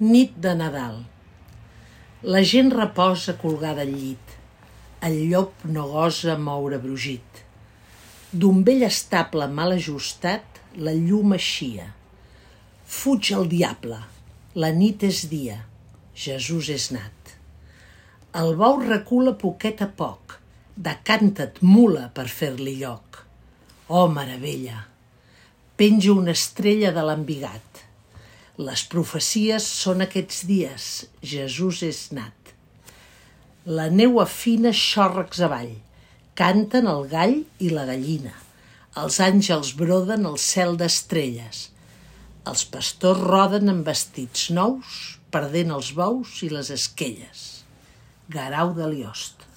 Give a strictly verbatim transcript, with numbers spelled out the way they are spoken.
Nit de Nadal. La gent reposa colgada al llit. El llop no gosa moure brugit. D'un vell estable mal ajustat, la llum eixia. Fuig el diable, la nit és dia, Jesús és nat. El bou recula poquet a poc, decanta't, mula, per fer-li lloc. Oh, meravella! Penja una estrella de l'embigat. Les profecies són aquests dies, Jesús és nat. La neu afina xòrrecs avall, canten el gall i la gallina. Els àngels broden el cel d'estrelles. Els pastors roden amb vestits nous, perdent els bous i les esquelles. Guerau de Liost.